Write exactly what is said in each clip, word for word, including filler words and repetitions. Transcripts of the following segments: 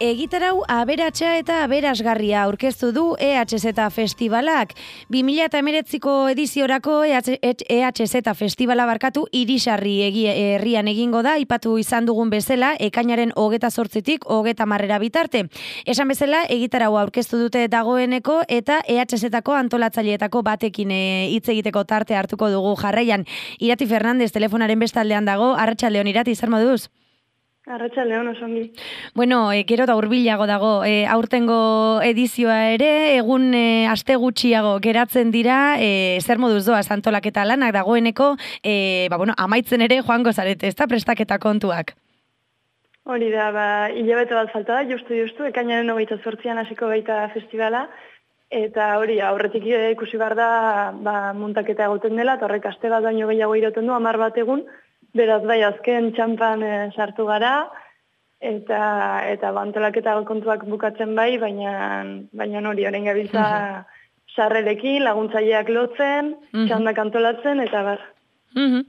Egitarau aberatsa eta aberasgarria aurkeztu du E H Z Festivalak. bi mila hemeretziko ediziorako E H Z Festivala barkatu Irisarri herrian egingo da, aipatu izan dugun bezala, ekainaren hogeta zortzitik hogeta marrera bitarte. Esan bezala, egitarau aurkeztu dute dagoeneko eta E H Z-ko antolatzaileetako batekin hitz egiteko tarte hartuko dugu jarraian. Irati Fernandez telefonaren bestaldean dago. Arratsaldeon Irati, zer moduz? Arratsaldeon, oso ongi. Bueno, e, gero da hurbilago dago, e, aurtengo edizioa ere, egun e, aste gutxiago geratzen dira, e, zer moduz doaz antolaketa lanak dagoeneko, e, ba, bueno, amaitzen ere joango zarete, ez da prestaketa kontuak? Hori da, ba, hilabete bat falta da, justu justu, ekainaren hogeita zortzian hasiko baita festivala, eta hori, aurretik ikusi behar da, ba, muntaketa egoten dela, eta horrek aste bat baino gehiago irauten du, hamar bat egun, beraz bai, azken txampan e, sartu gara, eta eta bantolaketa kontuak bukatzen bai, baina baina hori, orain gabiltza sarrerekin, laguntzaileak lotzen, txandak antolatzen, eta bar. Uhum.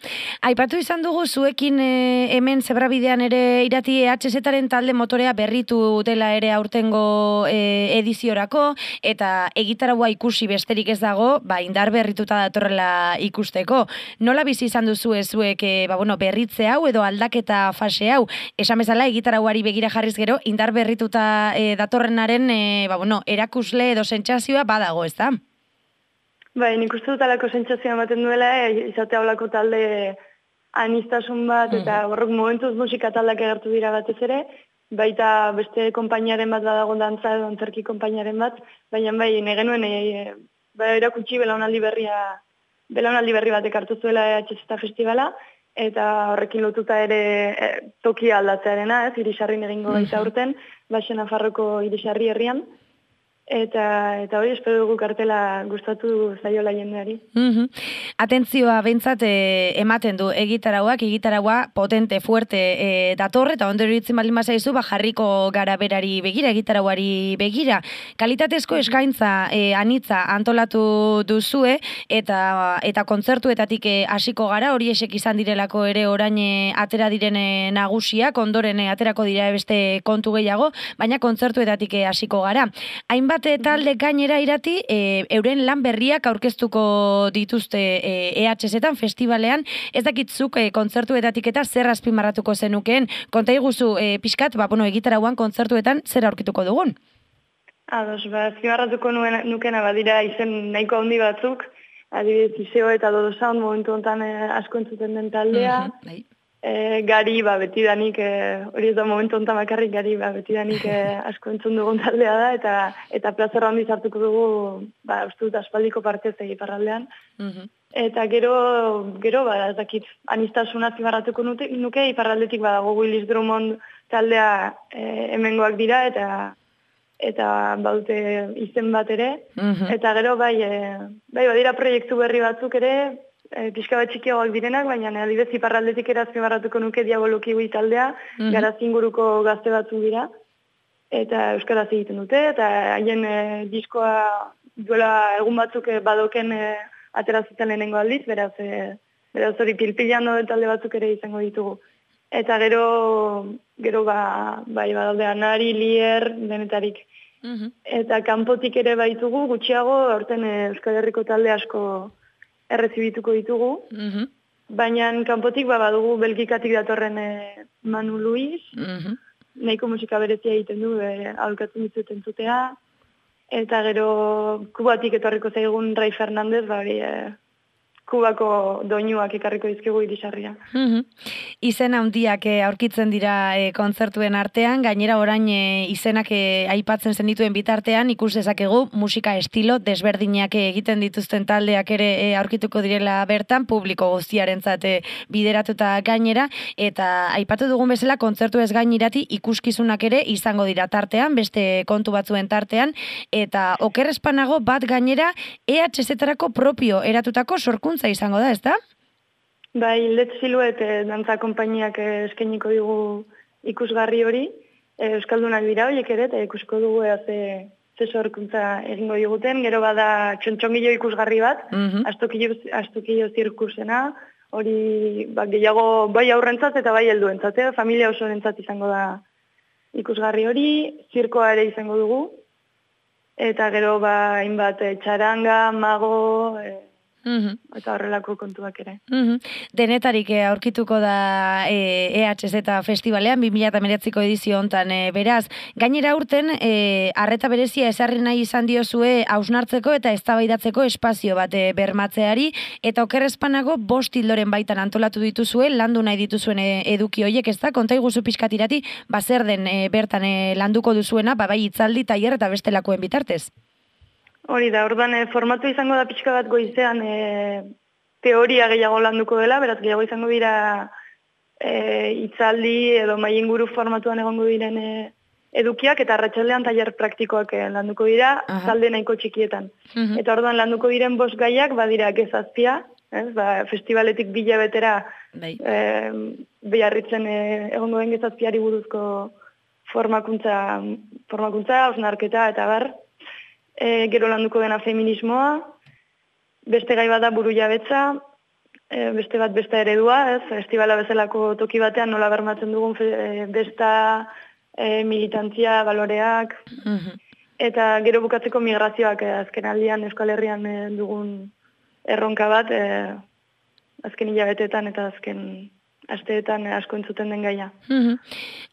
Aipatu izan dugu zuekin e, hemen Zebrabidean ere Irati E H Z-aren talde motorea berritu dela ere aurtengo e, ediziorako, eta egitaraua ikusi besterik ez dago, ba, indar berrituta datorrela ikusteko. Nola bizi izan duzu zuek e, ba, bueno, berritze hau edo aldaketa fase hau? Esan bezala egitarauari begira jarriz gero, indar berrituta e, datorrenaren e, ba, bueno, erakusle edo sentsazioa badago, ez da? Bai, nik uste dut alako sentsazioa ematen duela, e, izate haulako talde anistasun bat, eta horrek momentuz musika taldeak egertu dira batez ere, baita beste konpainiaren bat badago dantza edo antzerki konpainiaren bat, baina bai, negenuen e, bai, erakutsi belaunaldi berria, belaunaldi berri batek hartu zuela E H Z Festivala, eta horrekin lotuta ere e, tokia aldatzearena, ez, Irisarrin egingo baita urten, Baxe Nafarroko Irisarri herrian, Eta, eta hori espero dugu kartela gustatu zaiola jendeari. Mm-hmm. Atentzioa behintzat e, ematen du egitarauak, egitaraua potente, fuerte e, datorre, eta ondo iruditzen baldin bazaizu, ba, jarriko gara berari begira, egitarauari begira. Kalitatezko eskaintza e, anitza antolatu duzue, eta eta kontzertuetatik hasiko gara, hori esek izan direlako ere orain atera direne nagusiak, ondoren aterako dira beste kontu gehiago, baina kontzertuetatik hasiko gara. Hainbat talde gainera Irati, e, euren lan berriak aurkeztuko dituzte E H Z-an festivalean, ez dakitzuk e, kontzertuetatik eta zer azpimarratuko zenukeen, konta iguzu e, pixkat, ba, bueno, egitarauan kontzertuetan zer aurkituko dugun? Ados, ba, azpimarratuko nukena badira izen nahiko handi batzuk, adibidez Iseo eta Dodo Sound momentu honetan e, asko entzuten den taldea, mm-hmm. E, gari, ba, betidanik, e, hori ez da momentu ontan bakarrik, gari, ba, betidanik e, asko entzun dugun taldea da, eta eta plazera handi zartuko dugu, ba, uste dut aspaldiko partez egiparraldean. Mm-hmm. Eta gero, gero, ba, ez dakit, anistasuna zibarratuko nuke, iparraldetik badago Willis Drummond taldea e, hemengoak dira, eta eta baute izen bat ere, mm-hmm. eta gero, bai, e, bai, badira proiektu berri batzuk ere, E, pixka bat txikiagoak direnak, baina adibidez iparraldetik ere azpimarratuko nuke Diaboloki Gui taldea, mm-hmm. garaz inguruko gazte batzuk dira, eta euskaraz egiten dute, eta haien e, diskoa duela egun batzuk e, badoken e, aterazuten lehenengo aldiz, beraz, e, beraz hori pilpilean dode talde batzuk ere izango ditugu. Eta gero, gero ba, bai, badalde Anari, Lier, denetarik. Mm-hmm. Eta kanpotik ere baitugu, gutxiago, aurten e, Euskal Herriko talde asko errezibituko ditugu, mm-hmm. baina kanpotik ba, badugu Belgikatik datorren e, Manu Luis, mm-hmm. nahiko musika berezia egiten du, e, aholkatzen dituten zutea, eta gero Kubatik etorriko zaigun Rai Fernandez, ba, hori, e, Kubako doinuak ekarriko dizkigu Irisarria. Mm-hmm. Izen handiak e, aurkitzen dira e, kontzertuen artean, gainera orain e, izenak e, aipatzen zenituen bitartean, ikus dezakegu musika estilo desberdinak egiten dituzten taldeak ere e, aurkituko direla bertan, publiko guztiarentzat e, bideratuta gainera, eta aipatu dugun bezala kontzertu ez gainirati ikuskizunak ere izango dira tartean, beste kontu batzuen tartean, eta okerrespanago bat gainera E H Z-erako propio eratutako sorkuntza izango da, ez da? Bai, Let Silhouette e, dantza konpainiak e, eskainiko digu ikusgarri hori, e, euskaldunak dira horiek ere, eta ikusko dugu e, ze, ze sorkuntza egingo diguten, gero bada txontxongillo ikusgarri bat, mm-hmm. astukillo, astukillo zirkusena, hori ba, gehiago bai aurrentzat eta bai helduentzat, e, familia osorentzat izango da ikusgarri hori, zirkoa ere izango dugu, eta gero ba, hainbat e, txaranga, mago, e, Uhum. eta horrelako kontuak ere. Uhum. Denetarik eh, aurkituko da eh, E H Z Festivalean, bi mila hemeretziko edizio hontan eh, beraz. Gainera urten, eh, arreta berezia esarri nahi izan diozue hausnartzeko eta eztabaidatzeko espazio bat eh, bermatzeari, eta okerrezpanago bost hildoren baitan antolatu dituzue, landu nahi dituzuen eh, eduki hoiek, ez da? Konta iguzu pixkatirati, bazer den eh, bertan eh, landuko duzuena, ba, bai hitzaldi, tailer eta bestelakoen bitartez. Hori da, orduan e, formatu izango da pixka bat goizean e, teoria gehiago landuko dela, beraz gehiago izango dira e, itzaldi edo mailinguru formatuan egongo diren e, edukiak, eta arratsaldean tailer praktikoak e, landuko dira, talde nahiko txikietan. Uh-huh. Eta orduan landuko diren bost gaiak badira gezazpia, ez? Ba, festivaletik bila betera e, beharritzen e, egongo den gezazpiari buruzko formakuntza, formakuntza, osnarketa eta bar. E, gero landuko dena feminismoa, beste gai bada buru jabetza, e, beste bat besta eredua, ez? Festivala bezalako toki batean nola bermatzen dugun e, besta, e, militantzia, baloreak, uh-huh. Eta gero bukatzeko migrazioak e, azken aldian Euskal Herrian e, dugun erronka bat, e, azken hilabeteetan eta azken asteetan asko entzuten den gaia. Mm-hmm.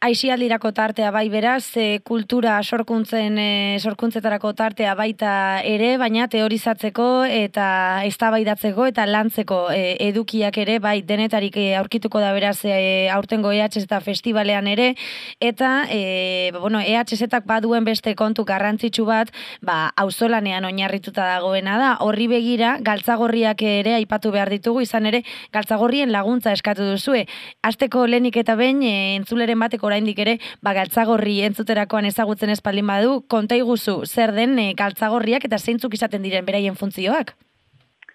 Aisialdirako tartea bai beraz, e, kultura sorkuntzen e, sorkuntzetarako tartea baita ere, baina teorizatzeko eta eztabaidatzeko eta lantzeko e, edukiak ere bai denetarik e, aurkituko da beraz e, aurtengo E H Z festivalean ere, eta e, bueno, E H Zak baduen beste kontu garrantzitsu bat, ba auzolanean oinarrituta dagoena da. Horri begira galtzagorriak ere aipatu behar ditugu, izan ere galtzagorrien laguntza eskatu duzue. Asteko lehenik eta behin e, entzuleren batek oraindik ere ba galtzagorri entzuterakoan ezagutzen espaldin badu, konta iguzu zer den e, galtzagorriak eta zeintzuk izaten diren beraien funtzioak?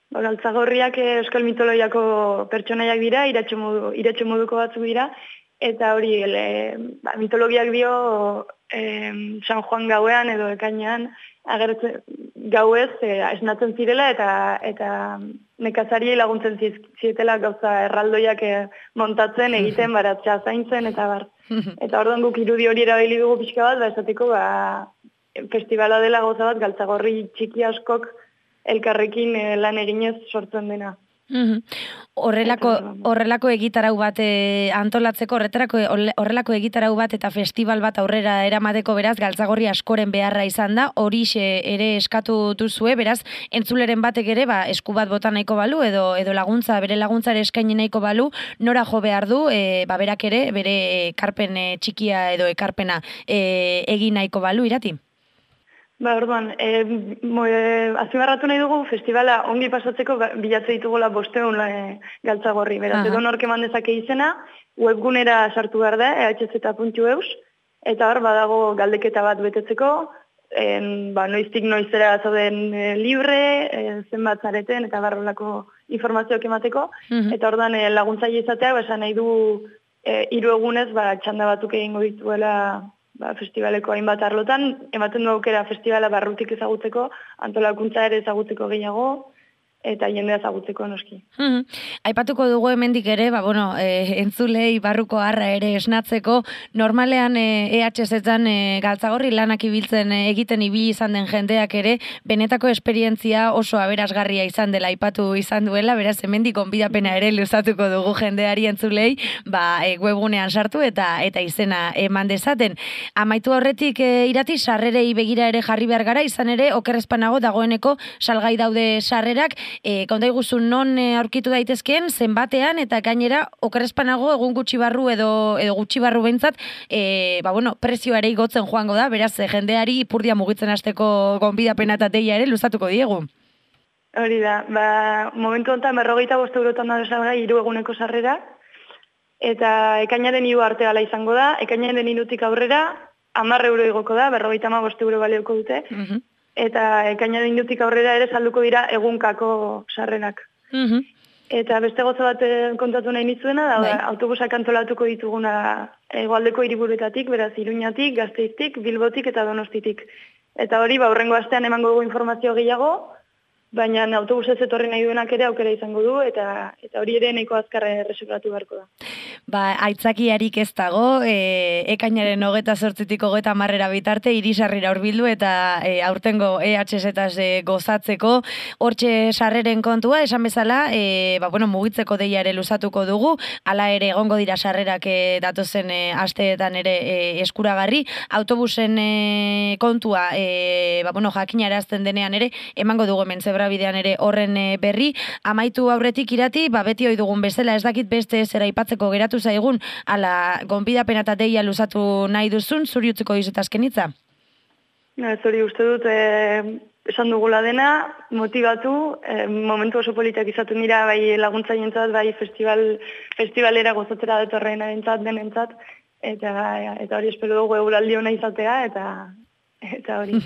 Ba, galtzagorriak e, euskal mitologiako pertsonaiak dira, iratxo, modu, iratxo moduko batzuk dira, eta hori e, ba, mitologiak dio e, San Juan gauean edo ekainean agertzen gauez e, esnatzen zirela eta eta nekazariei laguntzen zietela gauza erraldoiak e, montatzen, egiten, baratzea zaintzen, eta bar. Eta orduan guk irudi hori erabili dugu pixka bat, ba, esateko ba, festivala dela gauza bat, galtzagorri txiki askok elkarrekin e, lan eginez sortzen dena. Mm-hmm. Horrelako, horrelako egitarau bat e, antolatzeko, horretarako horrelako egitarau bat eta festival bat aurrera eramateko beraz, galtzagorri askoren beharra izan da, horixe ere eskatu duzue, beraz, entzuleren batek ere, ba, esku bat bota nahiko balu, edo, edo laguntza, bere laguntza ere eskaini nahiko balu, nora jo behar du, e, ba, berak ere, bere ekarpen e, txikia edo ekarpena e, egin nahiko balu, Irati? Ba, orduan, e, e, azpimarratu nahi dugu, festivala ongi pasatzeko bilatze ditugula bosteun e, galtzagorri. Beraz, edo nork eman dezake izena, webgunera sartu behar da, e h z puntu e u s, eta hor badago galdeketa bat betetzeko, en, ba, noiztik noizera zauden e, libre, e, zenbat zareten, eta barrolako informazioak emateko, uh-huh. Eta orduan e, laguntzaile izatea, ba, esan nahi du e, hiru egunez, ba, txanda batuk egingo dituela ba, festivaleko hainbat arlotan, ematen du aukera festivala barrutik ezagutzeko, antolakuntza ere ezagutzeko gehiago, eta jendea ezagutzeko noski. Hmm. Aipatuko dugu hemendik ere, ba, bueno, e, entzulei barruko harra ere esnatzeko, normalean e, E H Z-an e, galtzagorri lanak ibiltzen e, egiten ibili izan den jendeak ere, benetako esperientzia oso aberasgarria izan dela aipatu izan duela, beraz hemendik gonbidapena ere luzatuko dugu jendeari entzulei, ba, e, webgunean sartu eta eta izena eman dezaten. Amaitu horretik e, Irati, sarrerei begira ere jarri behar gara, izan ere okerrezpanago dagoeneko salgai daude sarrerak. E, konta iguzu non e, aurkitu daitezkeen, zenbatean, eta gainera okerrezpanago egun gutxi barru edo, edo gutxi barru behintzat, e, ba, bueno, prezioa ere igotzen joango da, beraz, e, jendeari ipurdia mugitzen hasteko gonbidapena eta deia ere luzatuko diegu. Hori da, ba, momentu honetan berrogeita bost eurotan da desalgai hiru eguneko sarrera, eta ekainaren hiru arte gala izango da, ekainaren hirutik aurrera, hamar euro igoko da, berrogeita hamabost bost euro balioko dute, uh-huh. Eta ekainaren hirutik aurrera ere salduko dira egunkako sarrerak. Uh-huh. Eta beste goza bat kontatu nahi nizuena, da, bai. Autobusak antolatuko dituguna hegoaldeko hiriburuetatik, beraz Iruñatik, Gasteiztik, Bilbotik eta Donostitik. Eta hori, ba, hurrengo astean emango dugu informazio gehiago, baina autobusez etorri nahi duenak ere aukera izango du, eta eta hori ere nahiko azkarre erreservatu beharko da. Ba, aitzakiarik ez dago, e, ekainaren hogeta zortzitik hogeta marrera bitarte, irisarrira hurbildu eta e, aurtengo E H Z-etaz e, gozatzeko, hortxe sarreren kontua, esan bezala, e, ba, bueno, mugitzeko deia ere luzatuko dugu, hala ere egongo dira sarrerak e, datozen e, asteetan ere e, eskuragarri, autobusen e, kontua, e, ba, bueno, jakinarazten denean ere, emango dugu hemen zebrabidean ere horren e, berri, amaitu aurretik Irati, ba, beti ohi dugun bezala, ez dakit beste zera aipatzeko geratu zaigun, ala gonbidapena eta deia luzatu nahi duzun, zuri utziko dizut azkenitza? Zuri uste dut, e, esan dugula dena, motivatu, e, momentu oso politak izatu nira, bai laguntzaientzat, bai festival, festivalera gozatzera datorren arentzat, denentzat, eta, eta hori espero dugu eguraldi hona izatea, eta eta hori.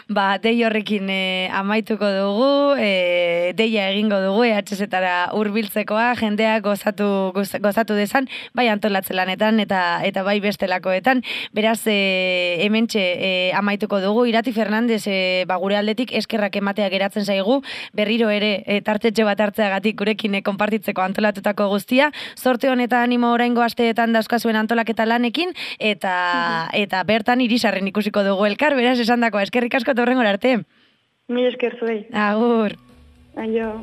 Ba, dei horrekin e, amaituko dugu, e, deia egingo dugu, E H Z-tara hurbiltzekoa, jendea gozatu, gozatu dezan, bai antolatze lanetan eta eta bai bestelakoetan. Beraz, e, hementxe e, amaituko dugu, Irati Fernandez e, ba, gure aldetik eskerrak ematea geratzen zaigu, berriro ere e, tartetxe bat hartzeagatik gurekin e, konpartitzeko antolatutako guztia, zorte honetan animo oraingo asteetan dauzkazuen antolaketa lanekin, eta, uh-huh. eta bertan irisarren ikusiko dugu elkar, beraz esan dakoa, eskerrik asko eta hurrengora arte. Mi esker zuei. Agur. Aio.